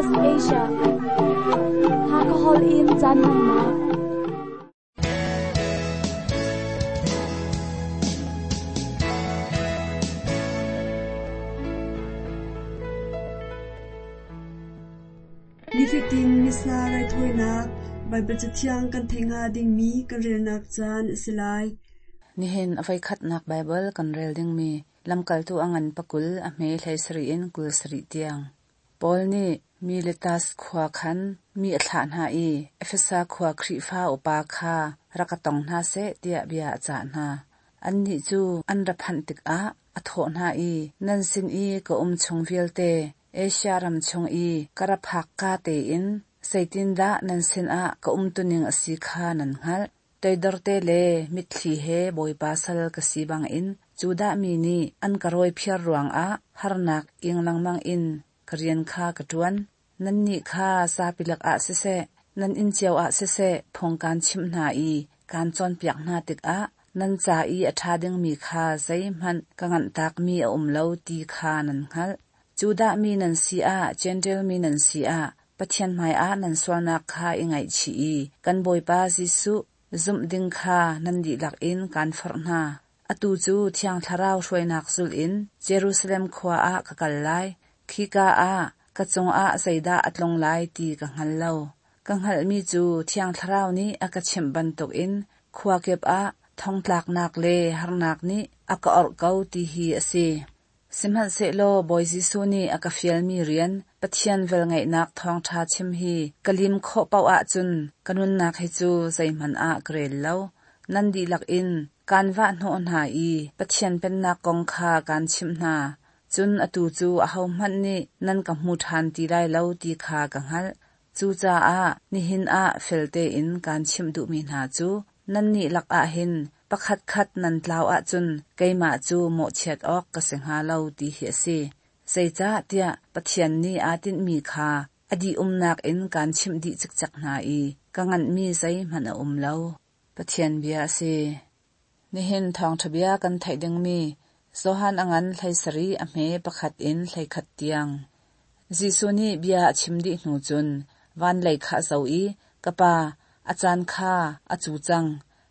Southwest Asia. Hakha holh in caan hmannak. Nifatin Missa raithawinak Baibal Cathiang kan theih hnga dingmi kan relnak caan a si lai. Nihin a voikhatnak Baibal kan rel dingmi Lamkaltu a ngan pakul a hme 17 in 27 tiang. Paul nih Miletas khua khan mi a thlah hna i Efesa khua Khrihfa upa kha rak ka tong hna seh tiah bia a cah hna. Annih cu an ra phanh tikah a thawh hna i, Nan sin i ka um chung vialte Asia ram chung i ka ra phakka tein zeitindah nan sinah ka umtuning a si kha nan hngalh. Toidorte le mitthli he Bawipa sal ka si bangin Judah mi nih an ka rawiphiar ruangah harnak ing lengmang in ka rian kha ka ṭuan. Nannih kha zapi lakah siseh, nan inn cio ah siseh phung kaan chimh hna i kaan cawnpiak hna tikah nan ca i a ṭha dingmi kha zeihmanh ka nganhtakmi a um lo ti kha nan hngalh. Judah mi nan si ah, Jentail mi nan si ah, Pathian hmaiah nan sualnak kha i ngaihchih i kan Bawipa Jesuh zumh ding kha nan dihlak in kaan forh hna. Atu cu Thiang Thlarau hruainak zulh in Jerusalem khua ah ka kal lai. Khika ah ka cungah zeidah a tlung lai ti ka hngal lo. Ka hngalhmi cu Thiang Thlarau nih a ka chimh bantukin khua kip ah thongtlaknak le harnak nih a ka orh ko ti hi a si. Sihmanhsehlaw Bawi Jesuh nih a ka fialmi rian, Pathian velngeihnak thawngṭha chim hi ka lim khawh paoh ahcun ka nunnak hi cu zeihmanh ah ka rel lo. Nan dihlak in kaan vahhnawh hna i Pathian Pennak kong kha kaan chimh hna. Cun atu cu ahohmanh nih nan ka hmu ṭhan ti lai lo ti kha ka hngalh. Cucaah nihin ah fel tein kaan chimh duhmi hna cu nannih lakah hin pakhatkhat nan tlau ahcun keimah cu mawhchiat awk ka si hnga lo ti hi a si. Zeicahtiah Pathian nih aa tinhmi kha a dihumnak in kaan chimh dih cikcek hna i ka nganhmi zeihmanh a um lo. Pathian bia a si. Nihin thawngṭha bia kan theih dingmi Johan a ngan 17 a hme pakhat in 11 tiang. Jesuh nih bia a chim dih hnu cun van lei kha a zoh i, Ka Pa, a caan kha a cu cang.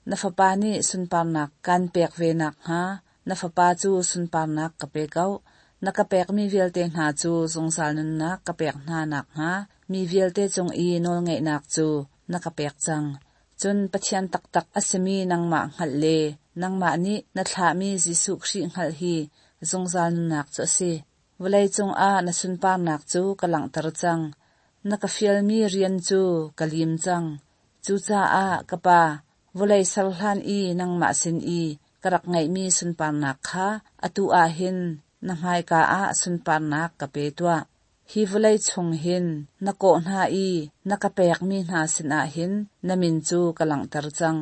Na Fapa nih sunparnak kaan pek ve nakhnga na Fapa cu sunparnak ka pe ko. Na ka pekmi vialte hna cu zungzal nunnak ka pek hna nakhnga mi vialte cung i nawlngeihnak cu na ka pek cang. Cun Pathian taktak a simi nangmah hngalh le nangmah nih na thlahmi Jesuh Khrih hngalh hi zungzal nunnak cu a si. Vawleicung ah na sunparnak cu ka langhter cang. Na ka fialmi rian cu ka lim cang. Cucaah ka Pa, vawlei ser hlan i nangmah sin i ka rak ngeihmi sunparnak kha atu ah hin na hmaika ah sunparnak ka pe tuah. Hi vawlei chung hin na kawh hna i na ka pekmi hna sinah hin na min cu ka langhter cang.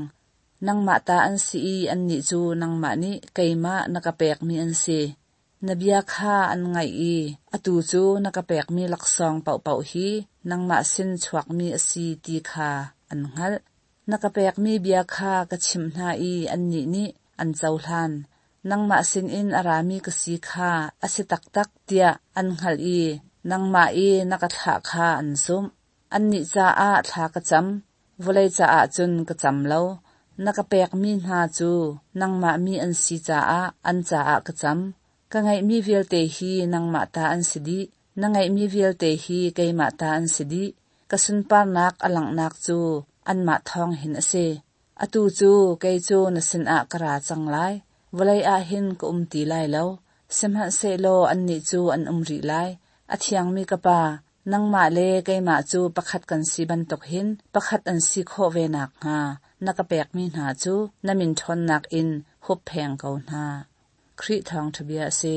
Nangmah ta an si i annih cu nangmah nih keimah na ka pekmi an si. Na bia kha an ngaih i atu cu na ka pekmi laksawng paohpaoh hi nangmah sin chuakmi a si ti kha an hngalh. Na ka pekmi bia kha ka chimh hna i annih nih an cohlan. Nangmah sinin a rami ka si kha a si taktak tiah an hngalh i nangmah i na ka thlah kha an zumh. Annih caah thla ka cam, vawlei caah cun ka cam lo. Na ka pekmi hna cu nangmah mi an si caah an caah ka cam. Ka ngeihmi vialte hi nangmah ta an si dih. Na ngeihmi vialte hi keimah ta an si dih. Ka sunparnak a langhnak cu anmah thawng hin a si. Atu cu kei cu na sinah ka ra cang lai. Vawlei ah hin ka um ti lai lo. Sihmanhsehlaw annih cu an um rih lai. A thiangmi ka Pa, nangmah le keimah cu pakhat kan si bantuk hin pakhat an si khawh ve nakhnga na ka pekmi hna cu na min ṭhawnnak in huppheng ko hna. Khrih thawngṭha bia a si.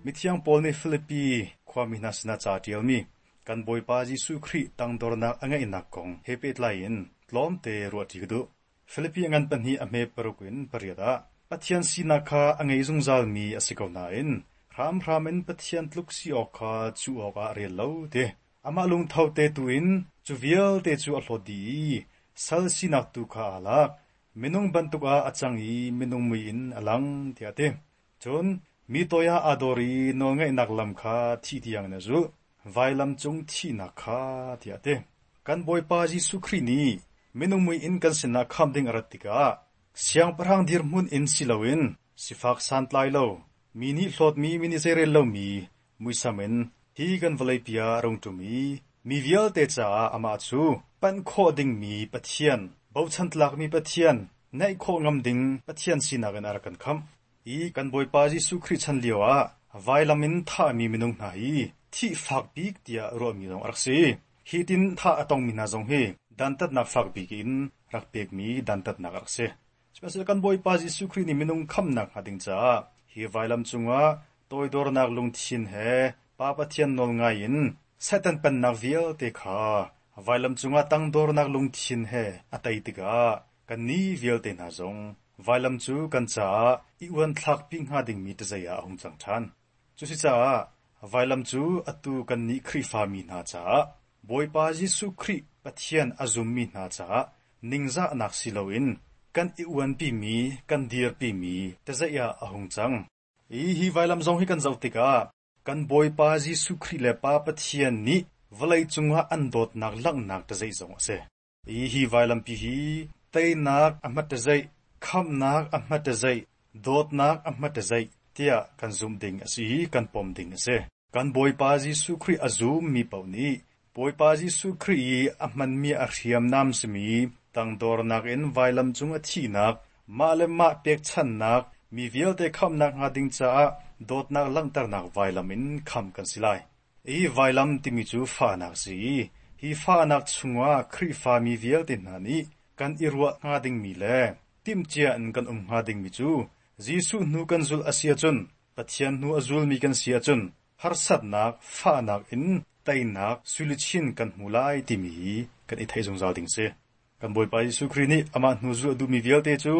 Mithiang Paul nih Filipi khuami hna sinah ca a ṭialmi kan Bawipa Jesuh Khrih tangdornak a ngeihnak kong he pehtlai in tlawmte ruahṭi ka duh. Filipi a ngan pahnih a hme paruk in pariat ah Pathian sinak kha a ngei zungzalmi a si ko nain hramhram in Pathian tluk si awk kha cuh awkah a rel lo ti. Amah lungtho te tu in cu vialte cu a hlawt dih i sal sinak tu kha aa lak. Minung bantuk ah a cang i minung mui in a lang, tiah a ti. Cun mi toi ah aa dor i nawlngaihnak lam kha thih tiangin a zulh, vailam cung thihnak kha, tiah a ti. Kan Bawipa Jesuh Khrih nih minung mui in kan sinah khamh ding a rat tikah siangpahrang dirhmun in si loin sifak santlai lo, mi nih hlawtmi, mi nih zeirel lomi muisam in hi kan vawleipi ah a rung ṭum i mi vialte caah amah cu panh khawh dingmi Pathian, bochan tlakmi Pathian, naih khawh ngam ding Pathian sinak in a rak kan khamh. I kan Bawipa Jesuh Khrih chan lioah vailam in thahmi minung hna hi thih fak bik tiah ruahmi zong a rak si. Hi tin thah a tongmi hna zong hi dantatnak fak bik in rak pekmi dantatnak a rak si. Sihmanhsehlaw kan Bawipa Jesuh Khrih nih minung khamhnak hnga ding caah hi vailam cungah toidornak lungthin he Pa Pathian nawlngai in Satan pennak vialte kha vailam cungah tangdornak lungthin he a tei tikah kannih vialte hna zong vailam cu kan caah i uanthlakpi hnga dingmi ṭazei ah a hung cang ṭhan. Cusicaah vailam cu atu kannih Khrihfami hna caah Bawipa Jesuh Khrih Pathian a zummi hna caah ningzahnak si loin kan i uanpimi kan dirpimi ṭazeih ah a hung cang. I hi vailam zong hi kan zoh tikah kan Bawipa Jesuh Khrih le Pa Pathian nih vawlei cungah an dawtnak langhnak ṭazeih zong a si. I hi vailampi hi teinak a hmatṭazeih, khamhnak a hmatṭazeih, dawtnak a hmatṭazeih tiah kan zumh ding a si i kan pom ding a si. Kan Bawipa Jesuh Khrih a zummi paoh nih Bawipa Jesuh Khrih i a hmanmi a hriamnam simi tangdornak in vailam cung a thihnak, mah le mah pekchanhnak, mi vialte khamhnak hnga ding caah dawtnak langhternak vailam in khamh kan si lai. Hi vailam timi cu fahnak a si i hi fahnak chungah Khrihfa mi vialte hna nih kan i ruah hnga dingmi le timhcia in kan um hnga dingmi cu Jesuh hnu kan zulh a si ahcun Pathian hnu a zulmi kan si ahcun harsatnak, fahnak in teinak suiluchin kan hmu lai timi hi kan i theih zungzal ding a si. Kan Bawipa Jesuh Khrih nih amah hnu zulh a duhmi vialte cu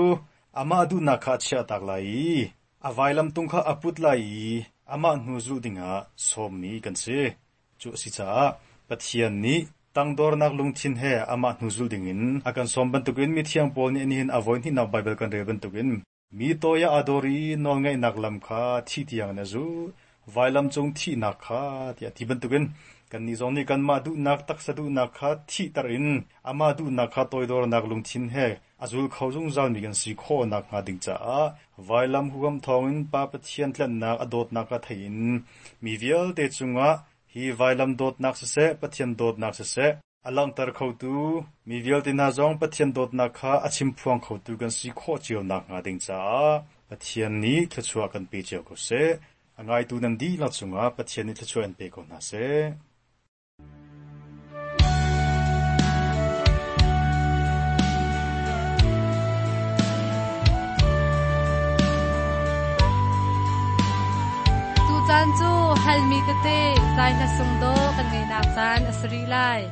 amah duhnak kha a chiahtak lai i a vailamtung kha a put lai i amah hnu zulh dingah sawmmi kan si. Cu a si caah Pathian nih tangdornak lungthin he amah hnu zulh dingin a kan sawm bantukin mithiang Paul nih nihin a voihnihnak Baibal kan rel bantukin Mi toi ah aa dor i nawlngaihnak lam kha thi tiangin a zulh, vailam cung thihnak kha tiah ti bantukin kannih zong nih kanmah duhnak taksa duhnak kha thihter in amah duhnak kha toidornak lungthin he a zul kho zungzalmi kan si khawh nakhnga ding caah vailam huham thawngin Pa Pathian tlanhnak a dawtnak kha thei in mi vialte cungah hi vailam dawtnak siseh Pathian dawtnak siseh A langhter khotu mi vialte hna zong Pathian dawtnak kha a chimphuang khotu kan si khawh cio nakhnga ding caah Pathian nih thluachuah kan pe cio ko seh. A ngaitu nan dihlak cungah Pathian nih thluachuah in pe ko hna seh. Tucaan cu halmi tete zai hla sung dawh kan ngeihnak caan a si rih lai.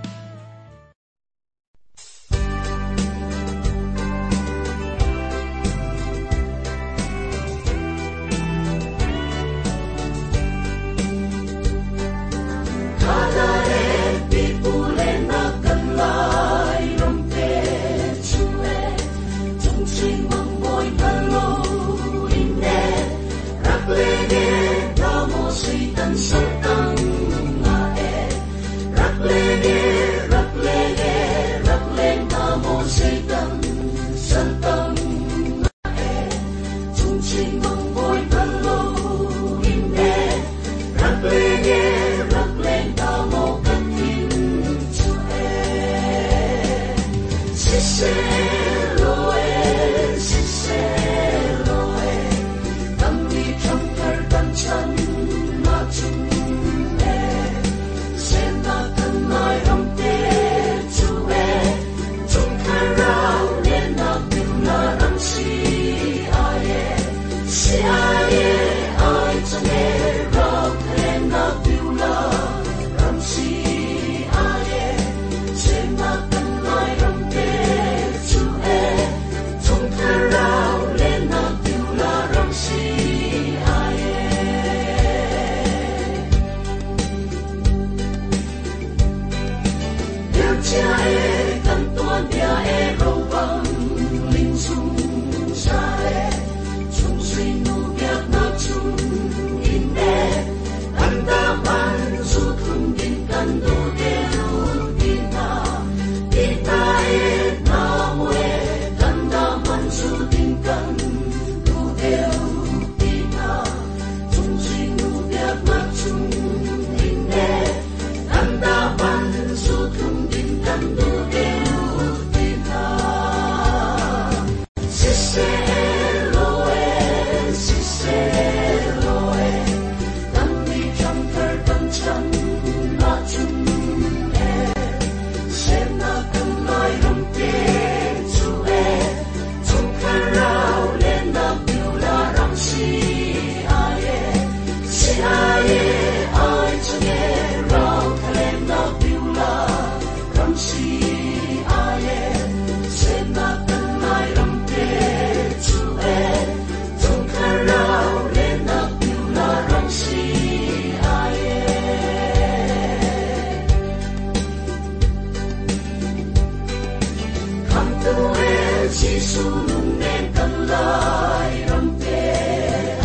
Lungnen kan lai ram te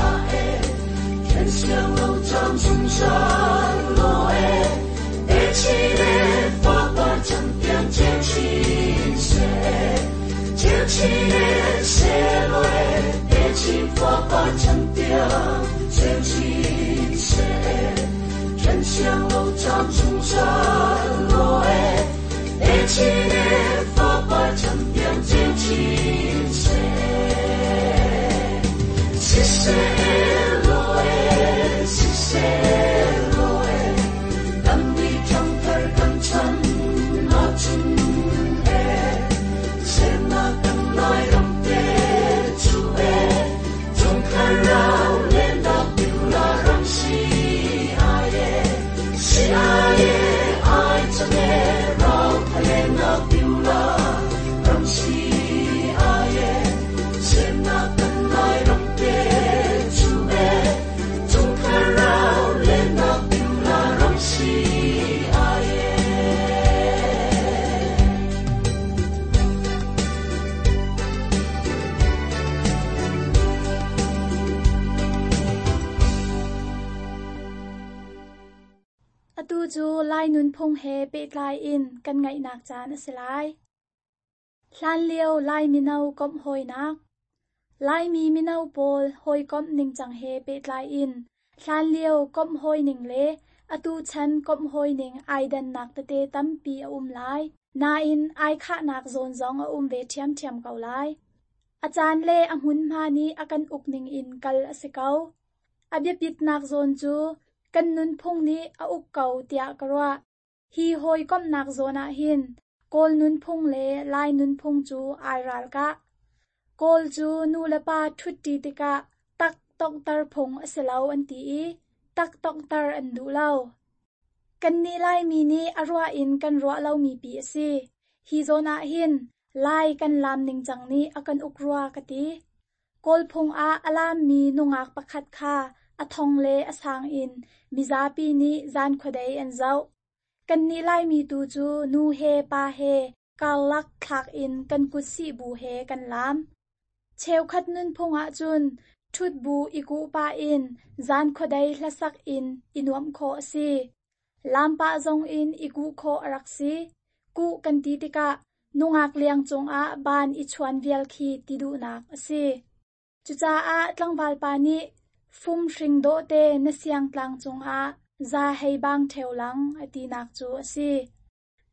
ah e Then siang lo cam zungzal law e Techin le fapar chan tiang ceu chin seh Ceu chin e seh law e Techin fapar chan tiang ceu chin seh Then siang lo cam zungzal law e Techin e fapar chan tiang ceu chin seh Siseh law e siseh law e Kan nih ṭhangthar kan chan ahcun e Semnak kan Lairam te cu e Chungkhar rau lennak Beulah ram si ai e Si ai e ai cang e rau tha lennak Beulah ram si ai e Semnak kan Lairam te cu e Chungkhar rau lennak Beulah ram si ai e. Atu cu Lai nunphung he pehtlai in kan ngaihnak caan a si lai. Hlanlio Lai mino komh hawinak. Laimi mino pawl hawikomh ningcang he pehtlai in hlanlio komh hawining le atu chan komh hawining ai dannak tete tampi a um lai. Nain ai khahnak zawn zong a um ve ṭhiamṭhiam ko lai. A caan le a hmunhma nih a kan uk ning in kal a si ko. A biapitnak zawn cu kan nunphung nih a uk ko tiah ka ruah. Hi hawikomhnak zawn ah hin Kawl nunphung le Lai nunphung cu ai ralkah. Kawl cu nu le pa ṭhutṭi tikah tak tonghter phung a si lo an ti i tak tonghter an duh lo. Kannih Laimi nih a ruah in kan ruah lomi pi a si. Hi zawn ah hin Lai kan laam ningcang nih a kan uk rua ka ti. Kawl phung ah a laammi nungak pakhat kha a thong le a sang in mizapi nih zan khuadei an zoh. Kannih Laimi tu cu nu he pa he karlak thlak in kan kut sih bu he kan laam. Cheukhat nunphung ahcun ṭhut bu i kuh pah in zan khuadei hlasak in i nuamh khawh a si. Laam pah zong in i kuh khawh a rak si. Kuh kan ti tikah nungak liang cungah baan i chuan vial khi ti duhnak a si. Cucaah tlangval pa nih fum hring dawhte na siangtlang cungah za hei bang ṭheo lang a tinak cu a si.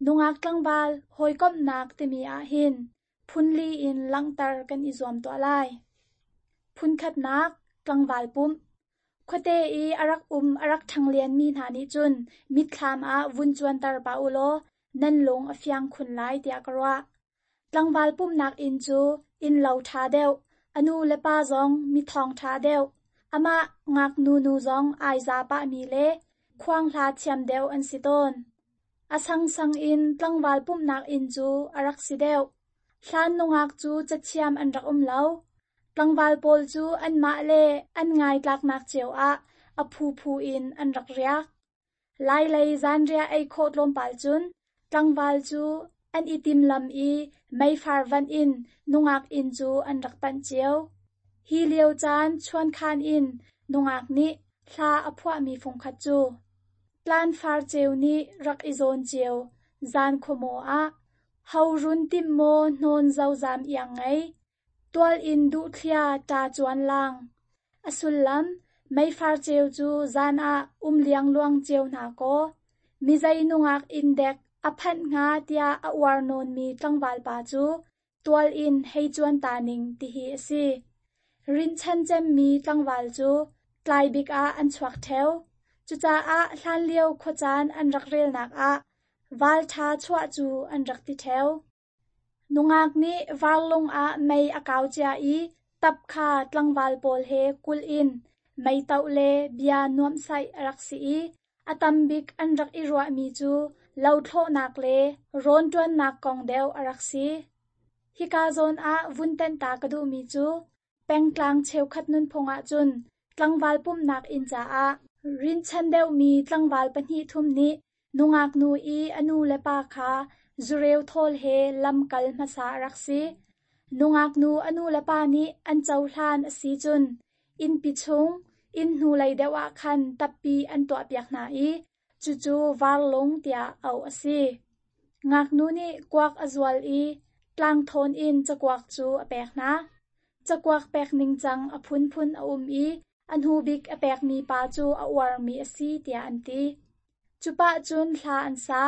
Nungak tlangval hawikomhnak timi ahhin phunli in langhter kan i zuam tuah lai. Phunkhatnak, tlangval pumh. Khuate i a rak um a rak ṭhanglianmi hna nih cun mitthlam ah vun cuanter pah u law nan lung a fiang khun lai tiah ka ruah. Tlangval pumhnak inn cu innlo ṭha deuh, a nu le pa zong mithawng ṭha deuh, amah ngaknu nu zong ai za pahmi le khuanghla thiam deuh an si tawn. A sangsang in tlangval pumhnak inn cu a rak si deuh. Hlan nungak cu cathiam an rak um lo. Tlangval pawl cu anmah le an ngaitlaknak cio ah a phuphu in an rak riak. Lailei zanriah ei khawh tlawmpal cun tlangval cu an i timlam i meifar vanh in nungak inn cu an rak panh cio. Hi lio caan chuankhan in nungak nih hla a phuahmi fungkhat cu Tlanfar ceu nih rak i zawn cio zan khuamaw ah ho run timh maw hnawn zozam iang ngei tual in duhthlia ṭa cuan lang. A sullam, meifar ceu cu zan ah um liangluang cio hna kaw, mizei nungak inn dek a phanh hnga tiah a uar nawnmi tlangval pa cu tual in hei cuan ta ning tihi a si. Rinhchan cemmi tlangval cu tlai bik ah an chuak ṭheo. Cucaah hlanlio khuacaan an rak relnak ah val ṭha chuah cu an rak ti ṭheo. Nungak nih varlung ah mei a kau cia i tap kha tlangval pawl he kulh in meitoh le bia nuamhsaih a rak si i a tam bik an rak i ruahmi cu lothlawhnak le rawnṭuannak kong deuh a rak si. Hika zawn ah vun tenh ta ka duhmi cu pengtlang cheukhat nunphung ahcun tlangval pumhnak inn caah rinhchan deuhmi tlangval pahnih thum nih nungak nu i a nu le pa kha zureu thawl he lam kal hmasa a rak si. Nungak nu a nu le pa nih an cohlan a si cun innpi chung inn hnulei deuh ah khan tappi an tuahpiak hna i cucu varlung tiah auh a si. Ngaknu nih kuak a zual i tlangthawn in cakuak cu a pek hna. Cakuak pek ningcang a phunphun a um i a hnu bik a pekmi pa cu a uarmi a si tiah an ti. Cu pah cun hla an sa,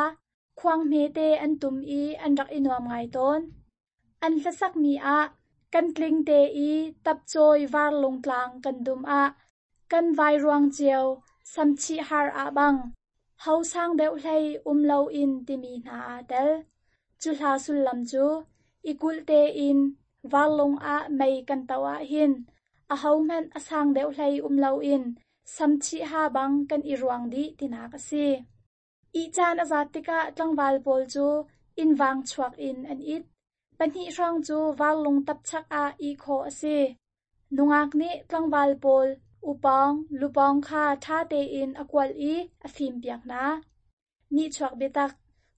khuang hmete an tum i an rak i nuam ngai tawn. An hlasakmi ah kan tling te i tapcawi varlung tlang kan dum ah kan vairuang cio samchih har ah bang ho sang deuh hlei um loin timi hna aa tel. Cu hla sullam cu i kulh tein varlung ah mei kan toh ahhin ahohmanh a sang deuh hlei um loin samchih ha bang kan i ruang dih tinak a si. Ih caan a zat tikah tlangval pawl cu inn vang chuak in an it. Pahnih hrawng cu varlung tapchak ah ih khawh a si. Nungak nih tlangval pawl upawng, lupawng kha ṭha tein a kualh i a fimpiak hna. Nihchuak biatak.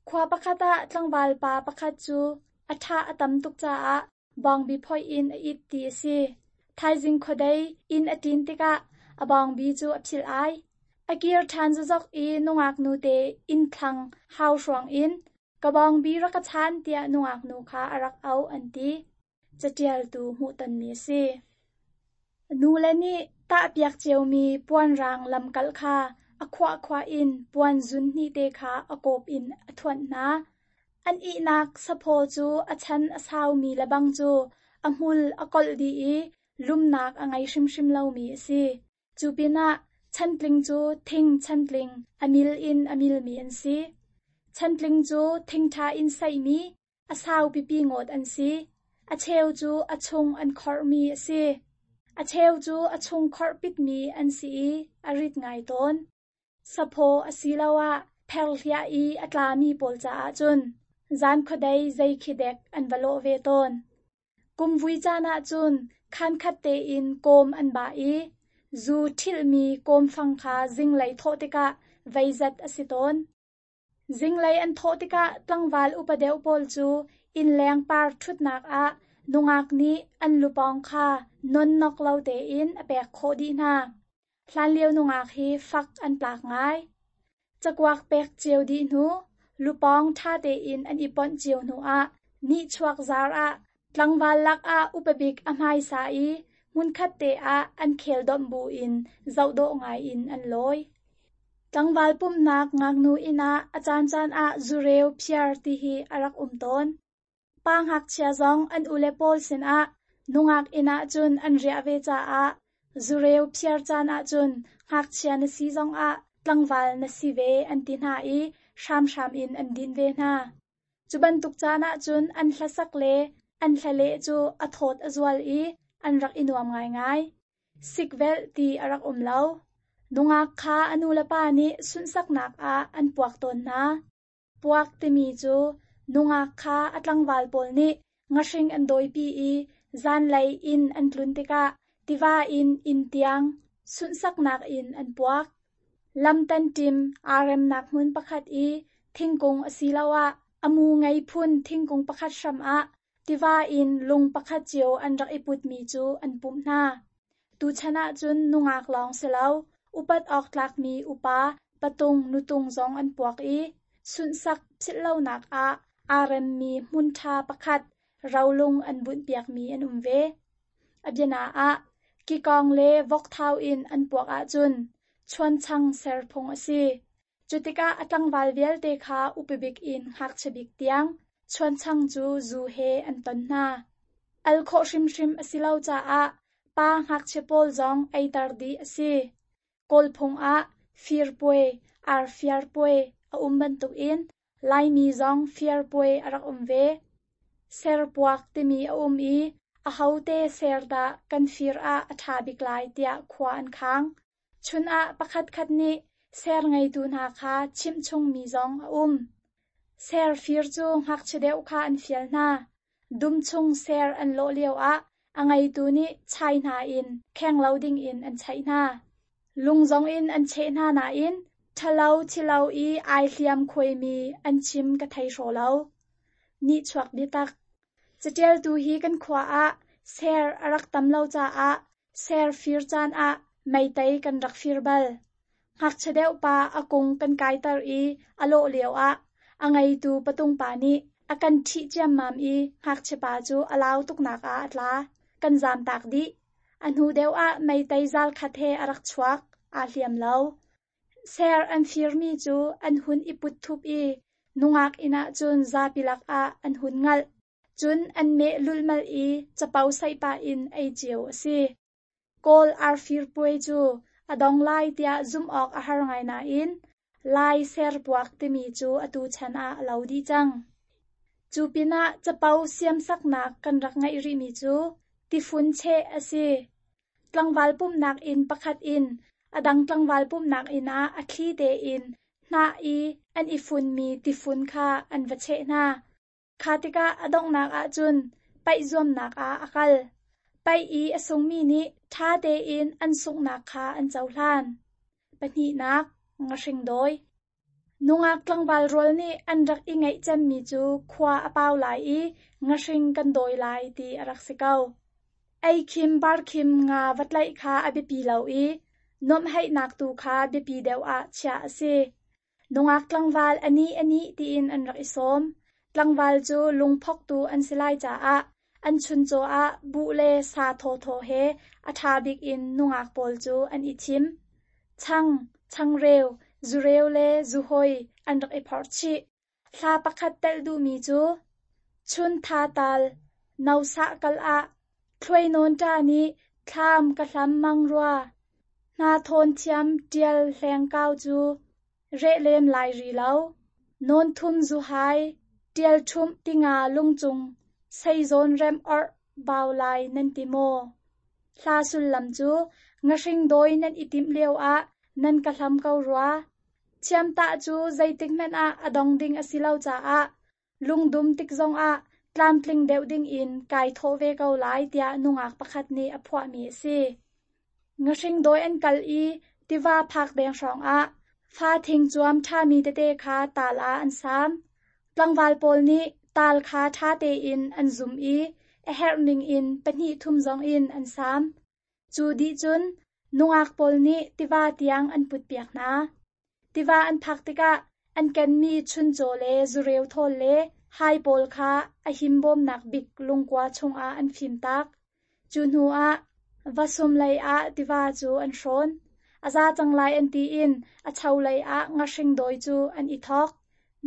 Khua pakhat ah tlangval pa pakhat cu a ṭha a tam tuk caah bawngbi phoih in a it ti a si. Thaizing khuadei inn a ṭin tikah a bawngbi cu a philh ai. A kir ṭhan zokzok i nungak nute inn thlang hau hruang in ka bawngbi rak ka chan tiah nungak nu kha a rak auh an ti. Caṭialtu hmuhtonmi a si. Nule nih tahpiak ciomi puanrang lamkalh kha a khuahkhuah in puan zun hnihte kha a kawp in a thuanh hna. An ihnak saphaw cu a chan a saumi lebang cu a hmul a kolh dih i lumnak a ngei hrimhrim lomi a si. Cu pinah chantling cu thing chantling a mil in a milmi an si. Chantling cu thingṭha in saihmi a sau pipi ngawt an si. A cheu cu a chung an khorhmi a si. A cheu cu a chung khorh pitmi an si i a rit ngai tawn. Saphaw asiloah pherhliah i a tlami pawl caah cun zan khuadei zei khi dek an va lawh ve tawn. Kumvui caan ah cun khankhat tein kawm an bah i zu ṭhilhmi kawmfang kha zinglei thawh tikah veizat a si tawn. Zinglei an thawh tikah tlangval upa deuh pawl cu innleng par ṭhutnak ah nungak nih an lupawng kha nonnok lo tein a pek khawh dih hna. Hlanlio nungak hi fak an tlak ngai. Cakuak pek cio dih hnu, lupawng ṭha tein an i ponh cio hnuah nihchuak zar ah tlangval lakah upa bik a hmaisa i hmunkhat te ah an khel domh buin zohdawh ngai in an lawi. Tlangval pumhnak ngaknu inn ah a caancaan ah zureu phiar ti hi a rak um tawn. Pa ngakchia zong an ule pawl sinah nungak inn ah cun an riah ve caah zureu phiar caan ahcun ngakchia na si zongah tlangval na si ve an ti hna i hramhram in an dinh ve hna. Cu bantuk caan ahcun an hlasak le an hlaleh cu a thawt a zual i an rak i nuam ngaingai. Sikvelh ti a rak um lo. Nungak kha a nulepa nih sunhsaknak ah an puak tawn hna. Puak timi cu nungak kha a tlangval pawl nih ngahring an dawipi i zanlei inn an tlun tikah tiva in inn tiang sunhsaknak in an puak. Lam tanṭim aa remnak hmun pakhat i thingkung asiloah a mu ngei phun thingkung pakhat hram ah tiva in lung pakhat cio an rak i putmi cu an pumh hna. Tuchan ahcun nungak lawng si lo, upat awk tlakmi upa, patung, nutung zong an puak i sunhsak philhlonak ah aa remmi hmun ṭha pakhat rolung an bunhpiakmi an um ve. A biana ah, kikawng le vokthau in an puak ahcun chuanchang ser phung a si. Cu tikah a tlangval vialte kha upabik in ngakchia bik tiang chuanchang cu zu he an ton hna. Al khawh hrimhrim a si lo caah pa ngakchia pawl zong eiter dih a si. Kawl phung ah firpuai, arfiarpuai a um bantukin Laimi zong firpuai a rak um ve. Serpuak timi a um i ahote ser dah kan fir ah a ṭha bik lai tiah khua an khang. Chun ah pakhatkhat nih ser ngeitu hna kha chimh chungmi zong a um. Ser fir cu ngakchia deuh kha an fial hna. Dum chung ser an lawh lioah a ngeitu nih chai hna in kheng lo dingin an chaih hna. Lung zongin an cheh hna nain ṭhalo thilo i ai hliam khuaimi an chim ka thei hraw lo. Nihchuak biatak. Caṭialtu hi kan khua ah ser a rak tam lo caah ser fir caan ah meitei kan rak fir bal. Ngakchia deuh pa a kung kan kaiter i a lawh lioah a ngeitu patung pa nih a kan ṭhih ciammam i ngakchia pa cu a lau tuknak ah a tla. Kan zaamtak dih. A hnu deuh ah meitei zal khat he a rak chuak, aa hliam lo. Ser an firmi cu an hun i put thup i nungak inn ah cun zapi lakah an hun ngalh. Cun an meh lulhmalh i capo saih pah in ei cio a si. Kawl arfir puai cu a dong lai tiah zumh awk a har ngai nain Lai serpuak timi cu atu chan ah a lo dih cang. Cu pinah capo siamsaknak kan rak ngeih rihmi cu tifun cheh a si. Tlangval pumhnak inn pakhat in a dang tlangval pumhnak inn ah a thli tein hnah i an i funmi tifun kha an va cheh hna. Kha tikah a donghnak ahcun paih zuamnak ah a kal. Paih i a sungmi nih ṭha tein an sunghnak kha an cohlan. Pahnihnak, ngahring dawi. Nungak tlangval rual nih an rak i ngeih cemmi cu khua a pau lai i ngahring kan dawi lai ti a rak si ko. Eikhim barkhim nga va tlaih kha a biapi lo i nuamhheihnak tu kha biapi deuh ah chiah a si. Nungak tlangval a nih a nih tiin an rak i sawm. Tlangval cu lungphoktu an si lai caah an chuncaw ah buh le sa thawthaw he a ṭha bik in nungak pawl cu an i thim. Chang, changreu, zureu le zuhoi an rak i phorh chih. Hla pakhat telh duhmi cu Chun tha tal, no sah kal ah, thluai nawn ṭa nih thlam ka hlam mang rua. Hna thawn thiam ṭial hlengkau cu reh lem lai ri lo. Nawn thum zuhai, ṭial ṭhumh tinga lungcung, seizawn remh orh bau lai nan ti maw? Hla sullam cu ngahring dawi nan i timh lioah nan ka hlam ko rua. Thiamtah cu zeitikhmanh ah a dong ding a si lo caah lungdum tik zongah tlamtling deuh dingin kai thawh ve ko lai tiah nungak pakhat nih a phuahmi a si. Ngahring dawi an kal i tiva phak deng hrawngah fa thing cuam ṭhami tete kha taal ah an saam. Tlangval pawl nih taal kha ṭha tein an zum i a herh ningin pahnih thum zongin an saam. Cu dih cun nungak pawl nih tiva tiang an putpiak hna. Tiva an phak tikah an kenmi chuncaw le zureu thawl le hai pawl kha a himbawmnak bik lungkua chungah an fimtak. Cu hnuah vasum lei ah tiva cu an hrawn. A za cang lai an ti in a cho lei ah ngahring dawi cu an i thawk.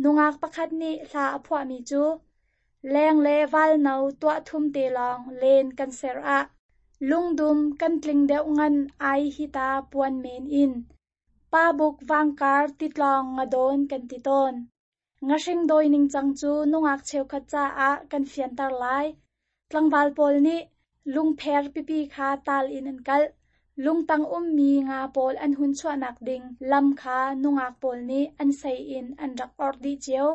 Nungak pakhat nih hla a phuahmi cu Leng le valno tuah thum te lawng len kan ser ah lungdum kan tling deuh ngan ai hi ta puan men in. Pabuk vangkar titlawng ngadawn kan ti tawn. Ngahring dawi ningcang cu nungak cheukhat caah kan fianter lai. Tlangval pawl nih lungpher pipi kha tal in an kalh. Lungtang ummi nga pawl an hun chuahnak ding lam kha nungak pawl nih an sei in an rak orh dih cio.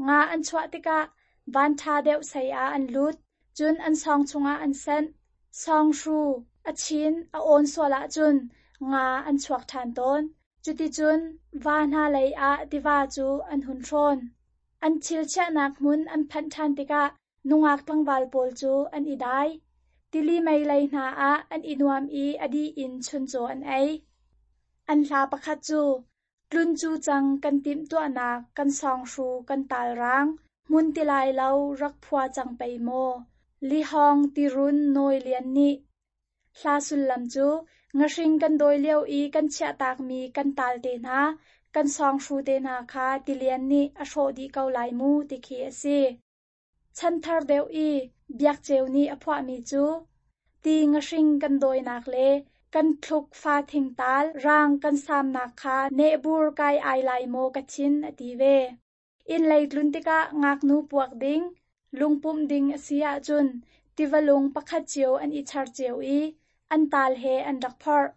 Nga an chuah tikah vanṭha deuh sei ah an lut, cun an sawng chungah an senh. Sawnghru a chin a awn sual ahcun nga an chuak ṭhan tawn. Cuticun va hna lei ah tiva cu an hun hrawn. An thil chiahnak hmun an phanh ṭhan tikah nungak tlangval pawl cu an i dai. Tili mei lei hna ah an i nuam i a dih in chuncaw an ei. An hla pakhat cu Tlun cu cang kan timhtuahnak kan sawnghru kan talrang, hmun ti lai lo rak phua cang pei maw, lihawng tirun nawi lian nih. Hla sullam cu ngahring kan dawi lio i kan chiahtakmi kan tal te hna, kan sawnghru te hna kha tilian nih a hrawh dih ko lai mu ti khi a si. Chanthar deuh i Biakceu nih a phuahmi cu ti ngahring kan dawinak le kan thluk fathing taal raang kan saamnak kha nehbur kai ai lai maw ka thin a ti ve. Inn lei tlun tikah ngaknu puak ding, lungpumh ding a si ahcun tiva lung pakhat cio an i char cio i an taal he an rak phorh.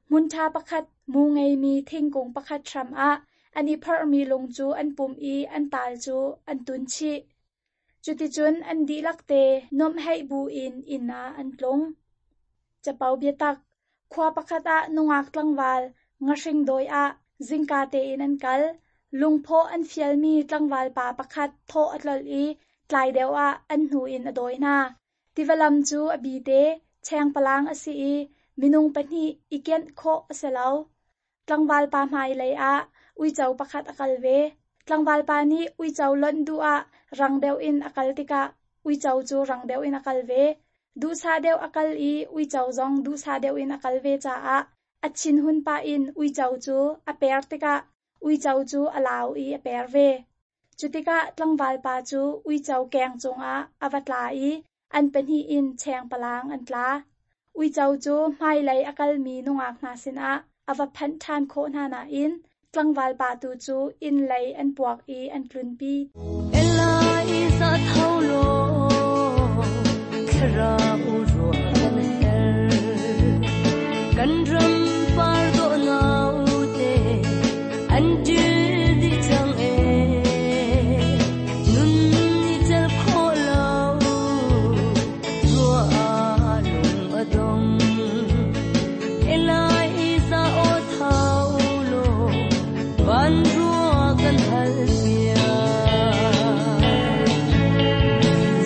Hmunṭha pakhat mu ngeimi thingkung pakhat hram ah an i phorhmi lung cu an pumh i an taal cu an tun chih. Cuticun an dihlak te nuamhheih buin inn ah an tlung. Capo biatak, khua pakhat ah nungak tlangval ngahring dawi ah zingka tein an kal. Lungphawh an fialmi tlangval pa pakhat thawh a tlolh i Tlai deuh ah an hnu in a dawi hna. Tiva lam cu a bite, chengpalang a si i minung pahnih i kianh khawh a si lo. Tlangval pa hmailei ah uico pakhat a kal ve. Tlangval pa nih uico lonh duh ah rang deuh in a kal tikah uico cu rang deuh in a kal ve. Duhsah deuh a kal i uico zong duhsah deuh in a kal ve caah a thinhun pah in uico cu a per tikah uico cu a lau i a per ve. Cu tikah tlangval pa cu uico keng cungah a va tla i an pahnih in chengpalang an tla. Uico cu hmailei a kalmi nungak hna sinah a va phanh ṭhan khawh hna nain tlangval pa tu cu inn lei an puak i an tlunpi. Eliza tho law thlarau ruah kan herh kan ram par dawh naute an ṭil dih cang ee nun ni cel khawh lo ruah ah lung a dong Eliza aw tho law van ruah kan hal piak.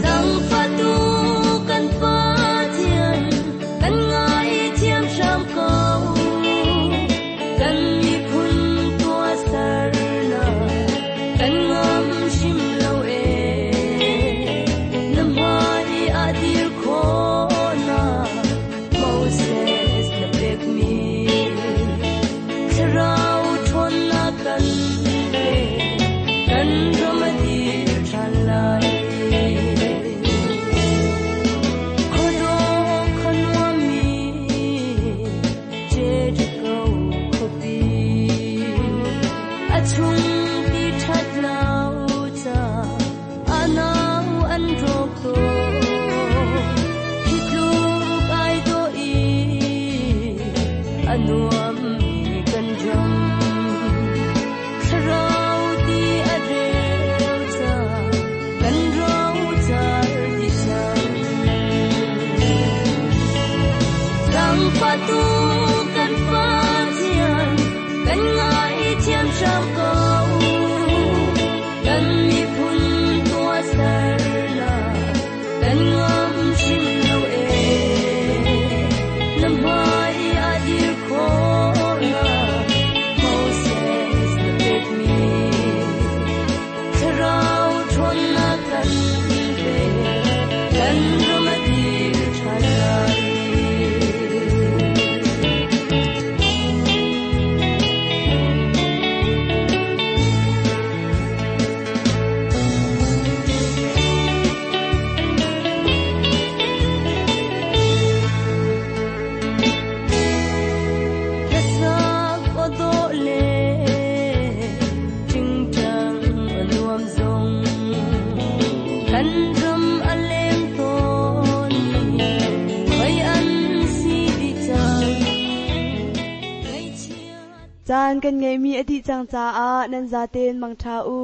Zangfahtu kan Pathian, kan ngaithiam hram ko. Kan miphun tuahsernak, kan ngam hrim lo ee. Na hmai ah dir khawhnak, Moses na pekmi. Thlarau ṭhawnnak kan pe, kan ram a dir ṭhan lai. Khuadawh khuanuammi Jericho khuapi, a chung ti ṭhat lo ca a nau an rawk tawn. Hi tluk ai dawh i a nuammi kan ram. Thlarau ti a reu ca kan rocar dih cang. Zangfahtu kan Pathian, kan ngaithiam hram ko. Kan miphun tuahsernak, kan ngam hrim lo ee. Na hmai ah dir khawhnak, Moses na pekmi. Thlarau ṭhawnnak kan pe, kan ram a dir ṭhan lai. Hlasak aw dawh le ṭingṭang a nuam zong, kan ram a leng tawn mi khoi an si dih cang. Ngaihchia Caan kan ngeihmi a dih cang caah nan zaten mangṭha u.